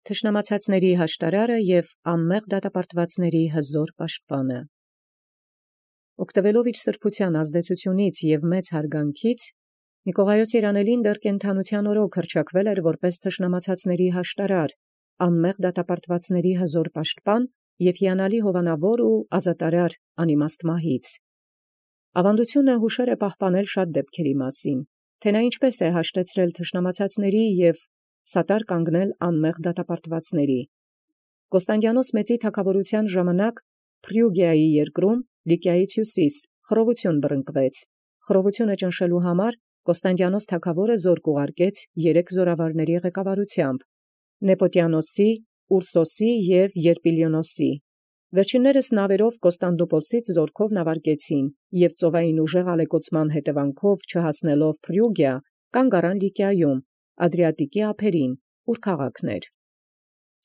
Թշնամացածների հաշտարարը և անմեղ դատապարտվածների հզոր պաշտպանը։ Օգտվելով իր սրբութեան ազդեցութիւնից և մեծ հարգանքից, Նիկողայոս երանելին դեռ կենդանութեան օրոք հռչակվել էր որպէս թշնամացածների հաշտարար, անմեղ դատապարտվածների հզոր պաշտպան և հիանալի հովանավոր ու ազատարար անիմաստ մահից։ Ավանդությունը յուշեր է պահպանել շատ դեպքերի մասին, թե նա ինչպէս է հաշտեցրել թշնամացածների և սատար կանգնել անմեղ դատապարտվածների։ Կոստանդիանոս մեծի թագաւորութեան ժամանակ Փրիուգիայի երկրում Լիկիայից հյուսիս խռովութիւն բռնկվեց։ Խռովութիւնը ճնշելու համար Կոստանդիանոս թագաւորը զորք ուղարկեց 3 զորավարների ղեկավարութեամբ՝ Նեպոտիանոսի, Ուրսոսի և Երպիլիոնոսի։ Վերջիններս նավերով Կոստանդնուպոլսից զորքով նավարկեցին և ծովային ուժեղ ալեկոծման հետևանքով չհասնելով Փրիուգիա, կանգ առան Լիկիայում, Ադրիատիկի ափերին, ուր քաղաքն էր։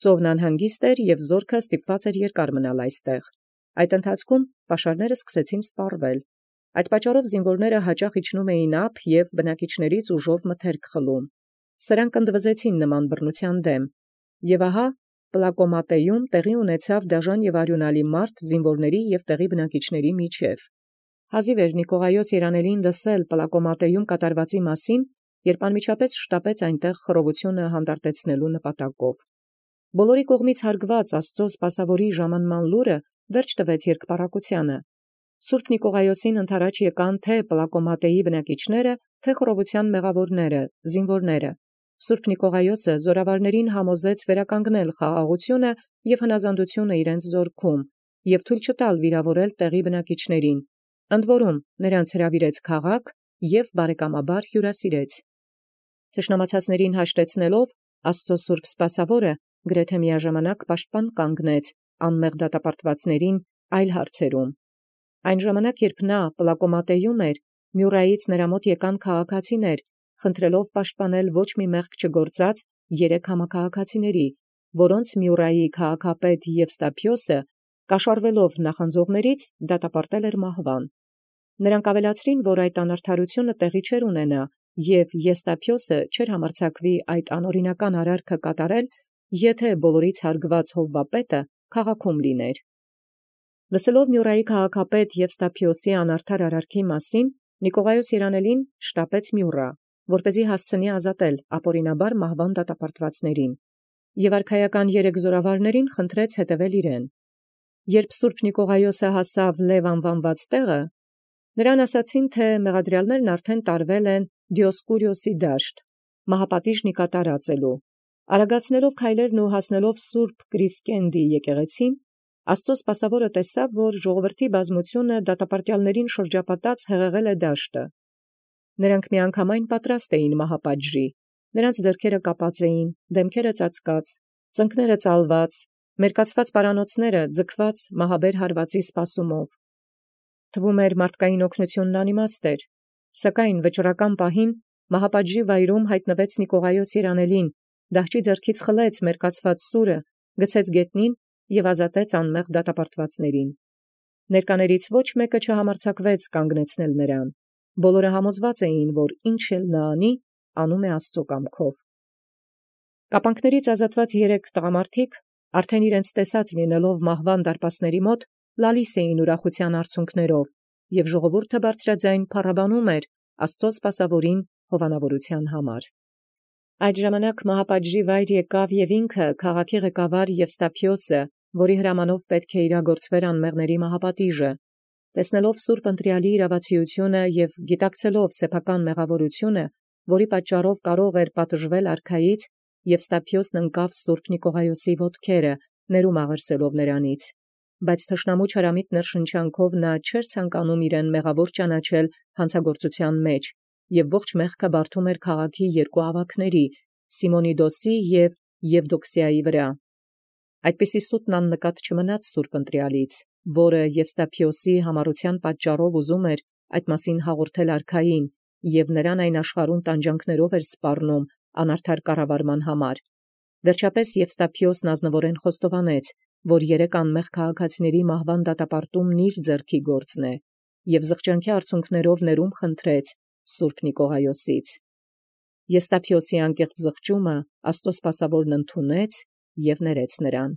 Ծովն անհանգիստ էր և զորքը ստիպված էր երկար մնալ այստեղ։ Այդ ընթացքում պաշարները սկսեցին սպառվել։ Այդ պատճառով զինվորները հաճախ իջնում էին ափ և բնակիչներից ուժով մթերք խլում։ Սրանք ընդվզեցին նման բռնութեան դեմ։ Եւ ահա Պլակոմատեում տեղի ունեցավ դաժան և արյունալի մարտ զինվորների և տեղի բնակիչների միջև։ Հազիվ էր Նիկողայոս երանելին լսել Պլակոմատեում կատարվածի մասին, երբ անմիջապես շտապեց այնտեղ խռովութիւնը հանդարտեցնելու նպատակով։ Բոլորի կողմից հարգված Աստուծոյ սպասաւորի ժամանման լուրը վերջ տվեց երկպառակութեանը։ Սուրբ Նիկողայոսին ընթരാճ եկան թե Պլակոմատեի բնակիչները, թե խռովութեան մեղավորները, զինվորները։ Սուրբ Նիկողայոսը զորավարներին համոզեց վերականգնել խաղաղութիւնը և հնազանդութիւնը իրենց զորքում և թույլ չտալ վիրավորել տեղի բնակիչներին, ընդ որում նրանց հրավիրեց քաղաք և բարեկամաբար հյուրասիրեց։ Թշնամացածներին հաշտեցնելով Աստուծոյ սուրբ սպասաւորը գրեթե միաժամանակ պաշտպան կանգնեց անմեղ դատապարտվածներին այլ հարցերում։ Այն ժամանակ, երբ նա Պլակոմատեում էր, Մյուռայից նրա մոտ եկան քաղաքացիներ, խնդրելով պաշտպանել ոչ մի մեղք չգործած 3 համաքաղաքացիների, որոնց Մյուռայի քաղաքապետ Եվստափիոսը, կաշառվելով նախանձողներից, դատապարտել էր մահվան։ Նրանք ավելացրին, որ այդ անարդարութիւնը տեղի չէր ունենա, և Եվստափիոսը չէր համարձակվի այդ անօրինական արարքը կատարել, եթե բոլորից հարգված հովվապետը քաղաքում լիներ։ Լսելով Մյուռայի քաղաքապետ Եվստափիոսի անարդար արարքի մասին, Նիկողայոս երանելին շտապեց Մյուռա, որպեսզի հասցնի ազատել ապօրինաբար մահվան դատապարտվածներին, և արքայական 3 զորավարներին խնդրեց հետևել իրեն։ Երբ սուրբ Նիկողայոսը հասավ Լև անվանված տեղը, նրան ասացին, թե մեղադրյալներն արդեն տարվել են Դիոսկուրիոսի դաշտ, մահապատիժն կատարածելու։ Արագացնելով քայլերն ու հասնելով սուրբ Կրիսկենդի եկեղեցին, Աստուծոյ սպասաւորը տեսավ, որ ժողովրդի բազմությունը դատապարտյալներին շրջապատած հեղեղել է դաշտը։ Նրանք միանգամայն պատրաստ էին մահապատժի, նրանց ձեռքերը կապած էին, դեմքերը ծածկած, ծնկները ծալված, մերկացված պարանոցները ձգված մահաբեր հարվածի սպասումով։ Թվում էր մարդկային օգնութիւնն անիմաստ էր, սակայն վճռական պահին մահապատժի վայրում հայտնվեց Նիկողայոս երանելին, դահճի ձեռքից խլեց մերկացված սուրը, գցեց գետնին և ազատեց անմեղ դատապարտվածներին։ Ներկաներից ոչ մեկը չհամարձակվեց կանգնեցնել նրան։ Բոլորը համոզված էին, որ ինչ էլ նա անի, անում է Աստուծոյ կամքով։ Կապանքներից ազատված 3 տղամարդիկ, արդեն իրենց տեսած լինելով մահվան դարպասների մոտ, լալիս էին ուրախութեան արցունքներով, և ժողովուրդը բարձրաձայն փառաբանում էր Աստուծոյ սպասաւորին հովանավորութեան համար։ Այդ ժամանակ մահապատժի վայր եկավ և ինքը քաղաքի ղեկավար Եվստափիոսը, որի հրամանով պետք է իրագործվեր անմեղների մահապատիժը։ Տեսնելով սուրբ ընտրյալի իրավացիությունը և գիտակցելով սեփական մեղավորությունը, որի պատճառով կարող էր պատժվել արքայից, Եվստափիոսն ընկավ սուրբ Նիկողայոսի ոտքերը, ներում աղերսելով նրանից։ Բայց թշնամու չարամիտ ներշնչանքով նա չէր ցանկանում իրեն մեղավոր ճանաչել հանցագործութեան մեջ, և ողջ մեղքը բարդում էր քաղաքի 2 ավագների՝ Սիմոնիդոսի և Եվդոքսիայի վրա։ Այդպիսի սուտն աննկատ չմնաց սուրբ ընտրյալից, որը Եվստափիոսի համառութեան պատճառով ուզում էր այդ մասին հաղորդել արքային, և նրան այն աշխարհում տանջանքներով էր սպառնում անարդար կառավարման համար։ Վերջապես Եվստափիոսն ազնվորեն խոստովանեց, որ 3 անմեղ քաղաքացիների մահվան դատապարտումն իր ձեռքի գործն է, և զղջանքի արցունքներով ներում խնդրեց սուրբ Նիկողայոսից։ Եվստափիոսի անկեղծ զղջումը Աստուծոյ սպասաւորն ընդունեց և ներեց նրան։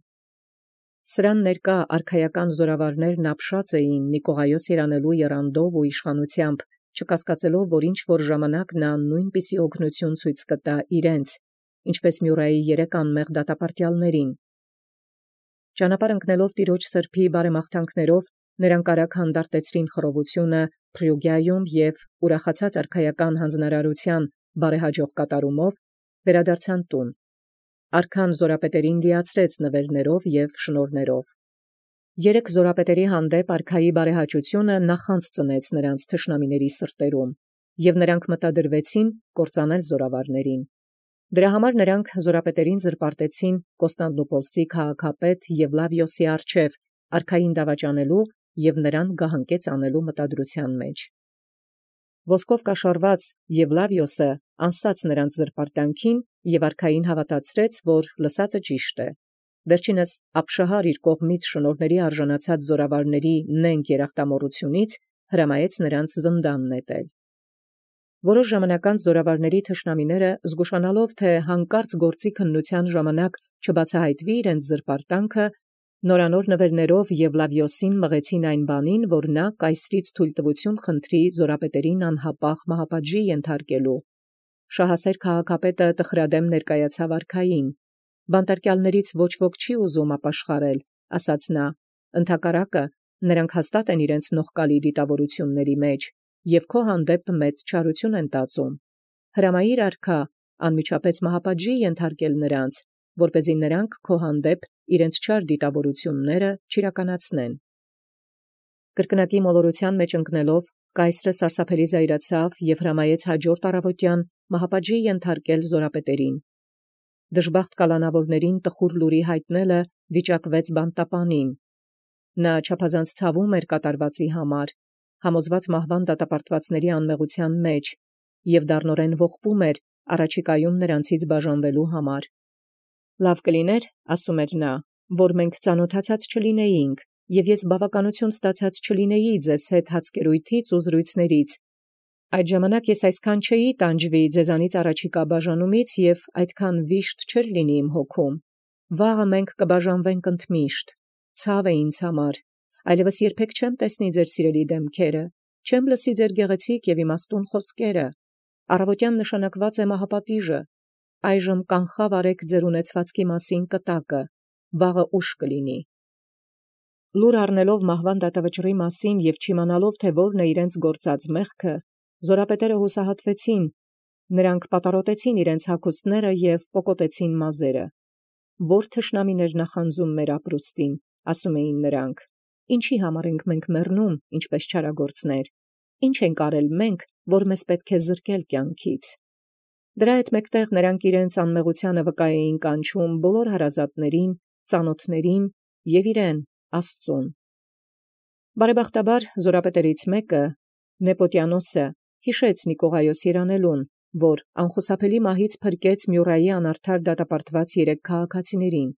Սրան ներկա արքայական զորավարներն ապշած էին Նիկողայոս երանելու եռանդով ու իշխանութեամբ, չկասկածելով, որ ինչ-որ ժամանակ նա նույնպիսի օգնություն ցույց կտա իրենց, ինչպես Մյուրայի 3 անմեղ դատապարտյալներին։ Ճանապարհ ընկնելով Տիրոջ սրբոյ բարեմաղթանքներով, նրանք արագ հանդարտեցրին խռովությունը Փրիուգիայում և ուրախացած արքայական հանձնարարութեան բարեհաջող կատարումով վերադարձան տուն։ Արքան զորապետերին լիացրեց նվերներով և շնորհներով։ 3 զորապետերի հանդեպ արքայի բարեհաճությունը նախանձ ծնեց նրանց թշնամիների սրտերում, և նրանք մտադրվեցին կործանել զորավարներին։ Դրա համար նրանք զորապետերին զրպարտեցին Կոստանդնուպոլսի քաղաքապետ Եվլավիոսի առջև արքային դավաճանելու և նրան գահանկեց անելու մտադրութեան մեջ։ Ոսկով կաշառված Եվլավիոսը անսաց նրանց զրպարտանքին և արքային հավատացրեց, որ լսածը ճիշտ է։ Վերջինս Աբշահար իր կողմից շնորհների արժանացած զորավարների նենգ երախտամոռութիւնից հրամայեց նրանց զնդան նետել։ Որոշ ժամանակ անց զորավարների թշնամիները, զգուշանալով թէ հանկարծ գործի քննութեան ժամանակ չբացահայտվի իրենց զրպարտանքը, նորանոր նվերներով Եվլավիոսին մղեցին այն բանին, որ նա կայսրից թույլտվութիւն խնդրի զորապետերին անհապաղ մահապատժի ենթարկելու։ Շահասեր քաղաքապետը տխրադեմ ներկայացավ արքային։ Բանտարկյալներից ոչ ոք չի ուզում ապաշխարել, ասաց նա, ընդհակառակը նրանք հաստատ են իրենց նողկալի դիտավորությունների մեջ և քո հանդեպ մեծ չարություն են տածում։ Հրամայիր արքա անմիջապես մահապատժի ենթարկել նրանց, որպեսզի նրանք քո հանդեպ իրենց չար դիտավորությունները չիրականացնեն։ Կրկնակի մոլորութեան մեջ ընկնելով, կայսրը սարսափելի զայրացավ և հրամայեց հաջորդ առավոտյան մահապատժի ենթարկել զորապետերին։ Դժբախտ կալանավորներին տխուր լուրի յայտնելը վիճակվեց բանտապանին։ Նա չափազանց ցավում էր կատարվածի համար, համոզված մահվան դատապարտվածների անմեղութեան մեջ, և դառնորեն ողբում էր առաջիկայում նրանցից բաժանվելու համար։ Լավ կլիներ, ասում էր նա, որ մենք ծանոթացած չլինեինք, և ես բավականություն ստացած չլինեի ձեզ հետ հացկերույթից ու զրույցներից։ Այդ ժամանակ ես այսքան չէի տանջվի ձեզանից առաջիկա բաժանումից և այդքան վիշտ չէր լինի իմ հոգում։ Վաղը մենք կբաժանվենք ընդմիշտ։ Ցավ է ինձ համար, այլևս երբեք չեմ տեսնի ձեր սիրելի դեմքերը, չեմ լսի ձեր գեղեցիկ և իմաստուն խոսքերը։ Առավոտյան նշանակված է մահապատիժը։ Այժմ կանխաւ արեք ձեր ունեցվածքի մասին կտակը, վաղը ուշ կլինի։ Լուր առնելով մահվան դատավճռի մասին և չիմանալով, թե որն է իրենց գործած մեղքը, զորապետերը հուսահատվեցին, նրանք պատառոտեցին իրենց հագուստները և պոկոտեցին մազերը։ Որ թշնամին էր նախանձում մեր ապրուստին, ասում էին նրանք, ինչի համար ենք մենք մեռնում, ինչպես չարագործներ, ինչ ենք արել մենք, որ մեզ պետք է զրկել կյանքից։ Դրա հետ մեկտեղ նրանք իրենց անմեղությանը վկա էին կանչում բոլոր հարազատներին, ծանոթներին և իրեն Աստծուն։ Բարեբախտաբար զորապետերից մեկը, Նեպոտիանոսը, հիշեց Նիկողայոս երանելուն, որ անխուսափելի մահից փրկեց Մյուրայի անարդար դատապարտված 3 քաղաքացիներին,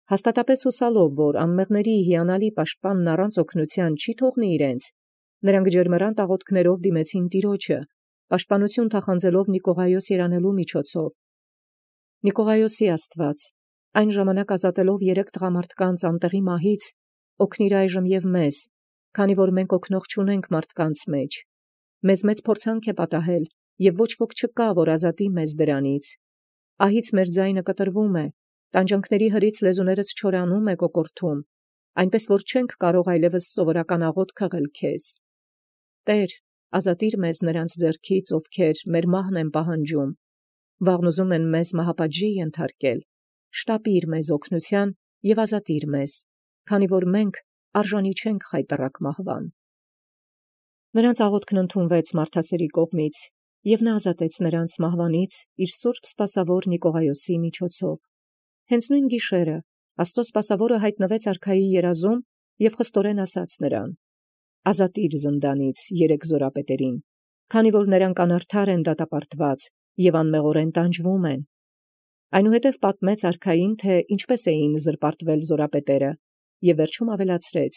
հաստատապես հուսալով, որ անմեղների հիանալի պաշտպանն առանց օգնութեան չի թողնի իրենց, նրանք ջերմեռանդ աղոթքներով դիմեցին Տիրոջը, պաշտպանություն թախանձելով Նիկողայոս երանելու միջոցով։ Նիկողայոսի Աստված, այն ժամանակ ազատելով 3 տղամարդկանց անտեղի մահից, օգնիր այժմ և մեզ, քանի որ մենք օգնող չունենք մարդկանց մեջ։ Մեզ մեծ փորձանք է պատահել, և ոչ ոք չկա, որ ազատի մեզ դրանից։ Ահից մեր ձայնը կտրվում է, տանջանքների հրից լեզուներս չորանում է կոկորթում, այնպես որ չենք կարող այլևս սովորական աղոթք խղել քեզ։ Տեր, ազատիր մեզ նրանց ձեռքից, ովքեր մեր մահն են պահանջում, վաղն ուզում են մեզ մահապատժի ենթարկել, շտապիր մեզ օգնության և ազատիր մեզ, քանի որ մենք արժանի չենք խայտառակ մահվան։ Նրանց աղոթքն ընդունվեց մարդասերի կողմից, և նա ազատեց նրանց մահվանից իր սուրբ սպասավոր Նիկողայոսի միջոցով։ Հենց նույն գիշերը Աստծո սպասավորը հայտնվեց արքայի երազում և խստորեն ասաց նրան. «Ազատիր զնդանից 3 զորապետերին, քանի որ նրանք անարդար են դատապարտված և անմեղորեն տանջվում են»։ Այնուհետև պատմեց արքային, թե ինչպես էին զրպարտվել զորապետերը, և վերջում ավելացրեց.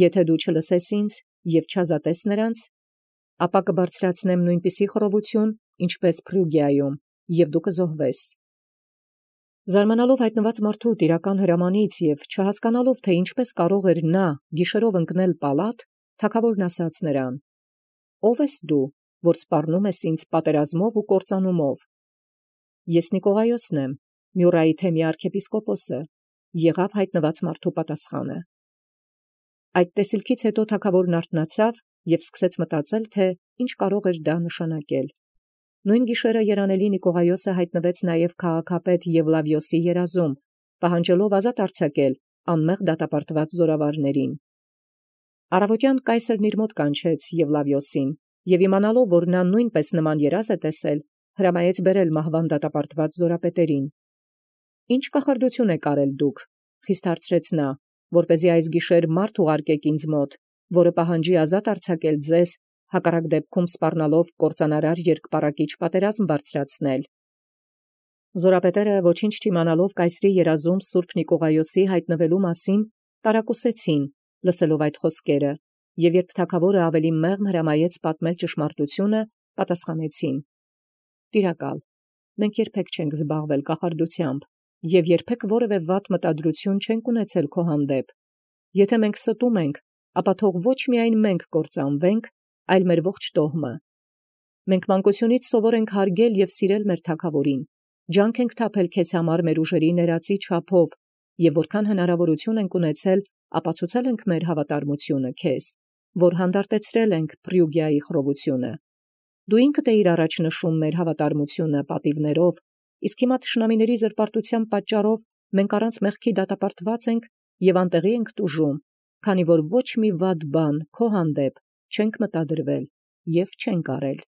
«Եթե դու չլսես ինձ և չազատես նրանց, ապա կբարձրացնեմ նույնպիսի խռովություն, ինչպես Փրուգիայում, և դու կզոհվես»։ Զարմանալով հայտնված մարդու տիրական հրամանից և չհասկանալով, թե ինչպես կարող էր նա գիշերով ընկնել պալատ, թագավորն ասաց նրան. «Ո՞վ ես դու, որ սպառնում ես ինձ պատերազմով ու կործանումով»։ «Ես Նիկողայոսն եմ, Մյուրայի թեմի arczepiskoposը», եղավ հայտնված մարդու պատասխանը։ Այդ տեսիլքից հետո թագավորն արթնացավ և սկսեց մտածել, թե ինչ կարող էր դա նշանակել։ Նույն գիշերը երանելի Նիկողայոսը հայտնվեց նաև քաղաքապետ Եվլավիոսի երազում, պահանջելով ազատ արձակել անմեղ դատապարտված զորավարներին։ Առավոտյան կայսրն իր մոտ կանչեց Եվլավիոսին և իմանալով, որ նա նույնպես նման երազ է տեսել, հրամայեց բերել մահվան դատապարտված զորապետերին։ «Ինչ կախարդություն եք արել դուք», խիստ հարցրեց նա, «որպեսզի այս գիշեր մարդ ուղարկեք ինձ մոտ, որը պահանջի ազատ արձակել ձեզ, հակառակ դեպքում սպառնալով կործանարար երկպառակիչ պատերազմ բարձրացնել»։ Զորապետերը ոչինչ չիմանալով կայսրի երազում Սուրբ Նիկողայոսի հայտնվելու մասին, տարակուսեցին, լսելով այդ խոսքերը, և երբ թագավորը ավելի մեղմ հրամայեց պատմել ճշմարտությունը, պատասխանեցին. «Տիրակալ, մենք երբեք չենք զբաղվել կախարդությամբ և երբեք որևէ վատ մտադրություն չենք ունեցել քո հանդեպ։ Եթե մենք ստում ենք, ապա թող ոչ միայն մենք կործանվենք, այլ մեր ողջ տոհմը։ Մենք մանկությունից սովոր ենք հարգել և սիրել մեր թագավորին, ջանք ենք թափել քեզ համար մեր ուժերի ներածի չափով և որքան հնարավորություն ենք ունեցել, ապացուցել ենք մեր հավատարմությունը քեզ, որ հանդարտեցրել ենք Փրիուգիայի խռովությունը։ Դու ինքդ էիր առաջ նշում մեր հավատարմությունը պատիվներով, իսկ հիմա թշնամիների զրպարտության պատճառով մենք առանց մեղքի դատապարտված ենք և անտեղի ենք տուժում, քանի որ ոչ մի վատ բան քո հանդեպ չենք մտադրվել և չենք արել»։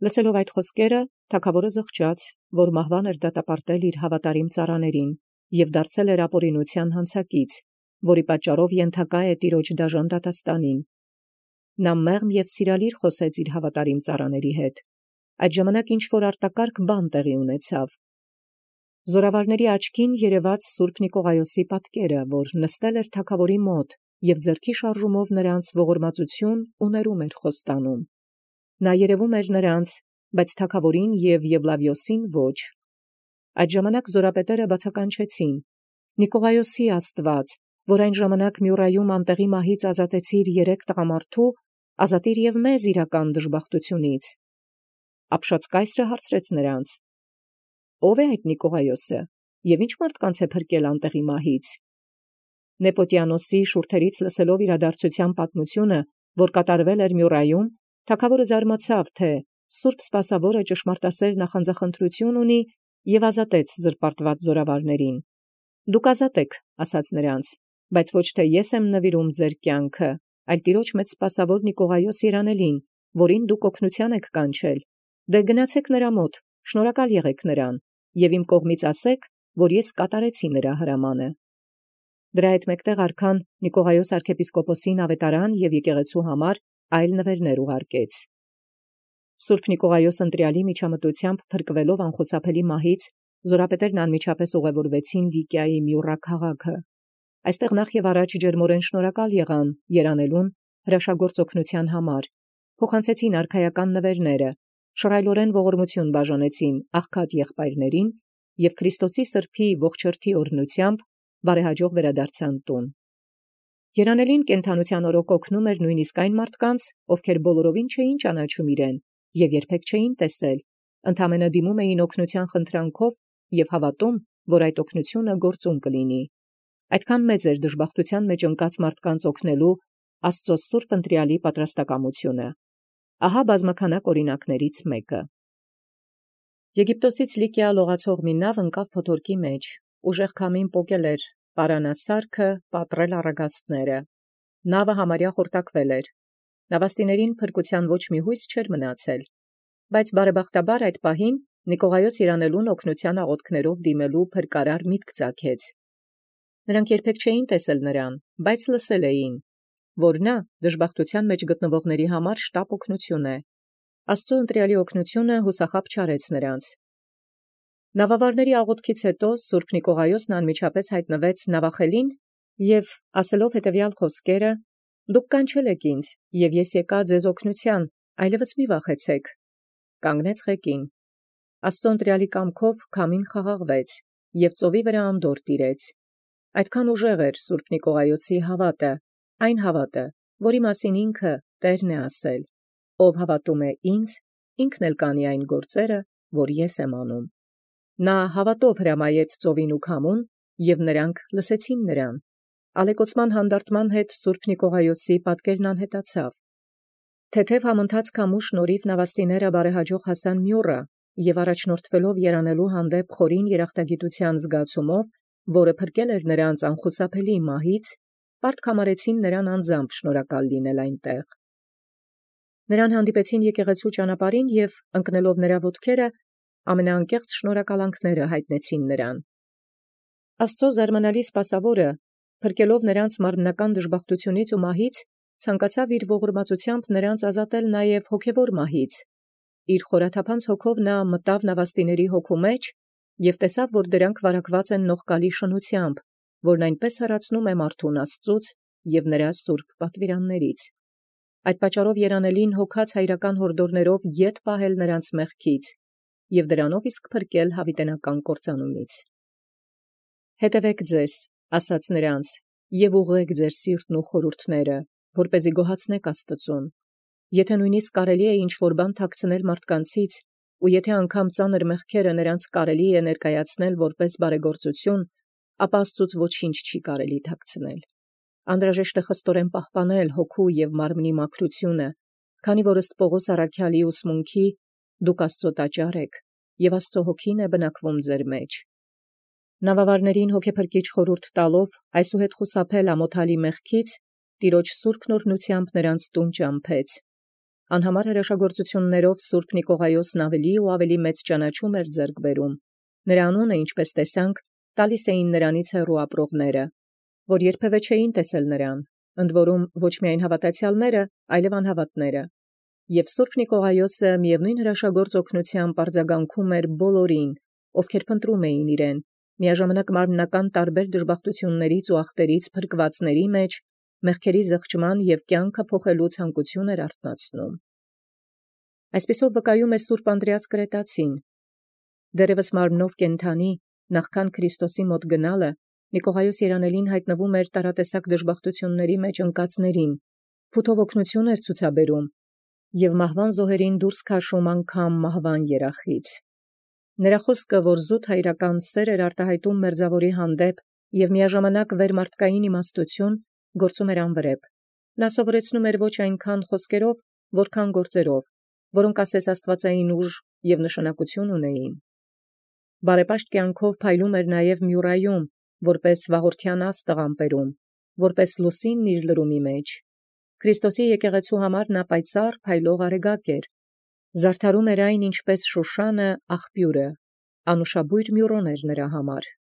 Լսելով այդ խոսքերը, թագավորը զղջաց, որ մահվան էր դատապարտել իր հավատարիմ ծառաներին և դարձել էր ապօրինության հանցակից, որի պատճառով ենթակա է տիրոջ դաժան դատաստանին։ Նա մեղմ և սիրալիր խոսեց իր հավատարիմ ծառաների հետ։ Այդ ժամանակ ինչ-որ արտակարգ բան տեղի ունեցավ։ Զորավարների աչքին երևաց Սուրբ Նիկողայոսի պատկերը, որ նստել էր թագավորի մոտ և ձեռքի շարժումով նրանց ողորմածություն ու ներում էր խոստանում։ Նա երևում էր նրանց, բայց թագավորին և Եվլավիոսին ոչ։ Այդ ժամանակ զորապետերը բացականչեցին. «Նիկողայոսի Աստված, որ այն ժամանակ Մյուրայում անտեղի մահից ազատեցիր 3 տղամարդու, ազատիր և մեզ իրական դժբախտությունից»։ Ապշած կայսրը հարցրեց նրանց. «Ո՞վ է այդ Նիկողայոսը և ինչ մարդկանց է փրկել անտեղի մահից»։ Նեպոտիանոսի շուրթերից լսելով իրադարձության պատմությունը, որ կատարվել էր Մյուրայում, թագավորը զարմացավ, թե Սուրբ Սպասավորը ճշմարտասեր նախանձախնդրություն ունի և ազատեց զրպարտված զորավարներին։ «Դուք ազատ եք», ասաց նրանց, «բայց ոչ թե ես եմ նվիրում ձեր կյանքը, այլ Տիրոջ մեծ սպասավոր Նիկողայոս երանելին, որին դուք օգնության եք կանչել։ Դե գնացեք նրա մոտ, շնորհակալ եղեք նրան, և իմ կողմից ասեք, որ ես կատարեցի նրա հրամանը»։ Դրա հետ մեկտեղ արքան Նիկողայոս arczepiskoposին ավետարան և եկեղեցու համար այլ նվերներ ուղարկեց։ Սուրբ Նիկողայոս ընտրյալի միջամտությամբ փրկվելով անխուսափելի մահից, զորապետերն անմիջապես ուղևորվեցին Լիկիայի Մյուրա քաղաքը։ Այստեղ նախ և առաջ ջերմորեն շնորհակալ եղան երանելուն հրաշագործ օգնության համար, փոխանցեցին արքայական նվերները, շռայլորեն ողորմություն բաժանեցին աղքատ եղբայրներին և Քրիստոսի սրբի ողջերթի օրհնությամբ բարեհաջող վերադարձան տուն։ Երանելին կենդանության օրոք օգնում էր նույնիսկ այն մարդկանց, ովքեր բոլորովին չէին ճանաչում իրեն և երբեք չէին տեսել, ընդամենը դիմում էին օգնության խնդրանքով և հավատում, որ այդ օգնությունը գործուն կլինի։ Այդքան մեծ էր դժբախտության մեջ ընկած մարդկանց օգնելու Աստծո սուրբ ընտրյալի պատրաստակամությունը։ Ահա բազմաքանակ օրինակներից մեկը։ Եգիպտոսից Լիկիա լողացող մի նավ ընկավ փոթորկի մեջ, ուժեղ քամին պոկել էր պարանասարքը, պատռել առագաստները։ Նավը համարյա խորտակվել էր։ Նավաստիներին փրկության ոչ մի հույս չէր մնացել։ Բայց բարեբախտաբար այդ պահին Նիկողայոս երանելուն օգնության աղոթքներով դիմելու փրկարար միտք ծագեց։ Նրանք երբեք չէին տեսել նրան, բայց լսել էին, որ նա դժբախտության մեջ գտնվողների համար շտապ օգնություն է։ Աստծո ընտրյալի օգնությունը հուսախաբ չարեց նրանց։ Նավավարների աղոթքից հետո Սուրբ Նիկողայոսն անմիջապես հայտնվեց նավախելին և ասելով հետևյալ խոսքերը. «Դուք կանչել եք ինձ, և ես եկա ձեզ օգնության, այլևս մի վախեցեք», կանգնեց ղեկին։ Աստծոն տրեալի կամքով քամին խաղաղվեց, և ծովի վրա անդորր տիրեց։ Այդքան ուժեղ էր Սուրբ Նիկողայոսի հաւատը, այն հաւատը, որի մասին ինքը Տերն է ասել. «Ով հավատում է ինձ, ինքն էլ կանի այն գործերը, որ ես եմ անում»։ Նա հաւատով հրամայեց ծովին ու քամուն, և նրանք լսեցին նրան։ Ալեկոծման հանդարտման հետ Սուրբ Նիկողայոսի պատկերն անհետացավ։ Թեթև համընթաց քամու շնորհիվ նավաստիները բարեհաջող հասան Մյոռա, և առաջնորդվելով երանելու հանդեպ խորին երախտագիտութեան զգացումով, որը փրկել էր նրանց անխուսափելի մահից, պարտք համարեցին նրան անձամբ շնորհակալ լինել այնտեղ։ Նրան հանդիպեցին եկեղեցու ճանապարհին և, ընկնելով նրա ոտքերը, ամենաանկեղծ շնորհակալանքները հայտնեցին նրան։ Աստծո զարմանալի սպասավորը, փրկելով նրանց մարմնական դժբախտությունից ու մահից, ցանկացավ իր ողորմածությամբ նրանց ազատել նաև հոգևոր մահից։ Իր խորաթափանց հոգով նա մտավ նավաստիների հոգու մեջ և տեսավ, որ դրանք վարակված են նողկալի շնությամբ, որն այնպես հեռացնում է մարդուն Աստծուց և նրա սուրբ պատվիրաններից։ Այդ պատճառով երանելին հոգած հայրական հորդորներով ետ պահել նրանց մեղքից և դրանով իսկ փրկել յաւիտենական կործանումից։ «Հետևէք ձեզ, ասաց նրանց, և ուղղեք ձեր սիրտն ու խորհուրդները, որպեսզի գոհացնեք Աստծուն։ Եթե նույնիսկ կարելի է ինչ-որ բան թաքցնել մարդկանցից, ու եթե անգամ ծանր մեղքերը նրանց կարելի է ներկայացնել որպես բարեգործություն, ապա Աստծուց ոչինչ չի կարելի թաքցնել։ Անդրաժեշտ է խստորեն պահպանել հոգու և մարմնի մաքրությունը, քանի որ ըստ Պողոս առաքյալի ուսմունքի դուք Աստծո տաճար եք, և Աստծո հոգին է բնակվում ձեր մեջ։ Նավավարներին հոգեփրկիչ խորհուրդ տալով այսուհետ խուսափել ամոթալի մեղքից, Տիրոջ սուրբ օրհնությամբ նրանց տուն ճամփեց։ Անհամար հրաշագործություններով Սուրբ Նիկողայոսն ավելի ու ավելի մեծ ճանաչում էր ձեռք բերում։ Նրա անունը, ինչպես տեսանք, տալիս էին նրանից հեռու ապրողները, որ երբևէ չէին տեսել նրան, ընդ որում ոչ միայն հավատացյալները, այլև անհավատները։ Եւ Սուրբ Նիկողայոսը միևնույն հրաշագործ օգնությամբ արձագանքում էր բոլորին, ովքեր փնտրում էին իրեն, միաժամանակ մարմնական տարբեր դժբախտություններից ու ախտերից փրկվածների մեջ մեղքերի զղջման և կյանքը փոխելու ցանկություն էր արթնացնում։ Այսպիսով վկայում է Սուրբ Անդրեաս Կրետացին. դեռևս մարմնով կենդանի, նախքան Քրիստոսի մոտ գնալը, Նիկողայոս երանելին հայտնվում էր տարատեսակ դժբախտությունների մեջ ընկածներին, փութով օգնություն էր ցուցաբերում և մահվան զոհերին դուրս քաշում անգամ մահվան երախից։ Նրա խոսքը, որ զուտ հայրական սեր էր արտահայտում մերձավորի հանդեպ և միաժամանակ վերմարտկային իմաստություն, գործում էր անվրեպ։ Նա սովորեցնում էր ոչ այնքան խոսքերով, որքան գործերով, որոնք ասես աստվածային ուժ և նշանակություն ունեին։ Բարեպաշտ կյանքով փայլում էր նաև Մյուրայում, որպես վաղորդյան աստղ ամպերում, որպես լուսինն իր լրումի մեջ։ Քրիստոսի եկեղեցու համար նա պայծառ փայլող արեգակ էր։ Զարդարում էր այն ինչպես Շուշանը աղբյուրը, անուշաբույր Մյուրոն էր նրա համար։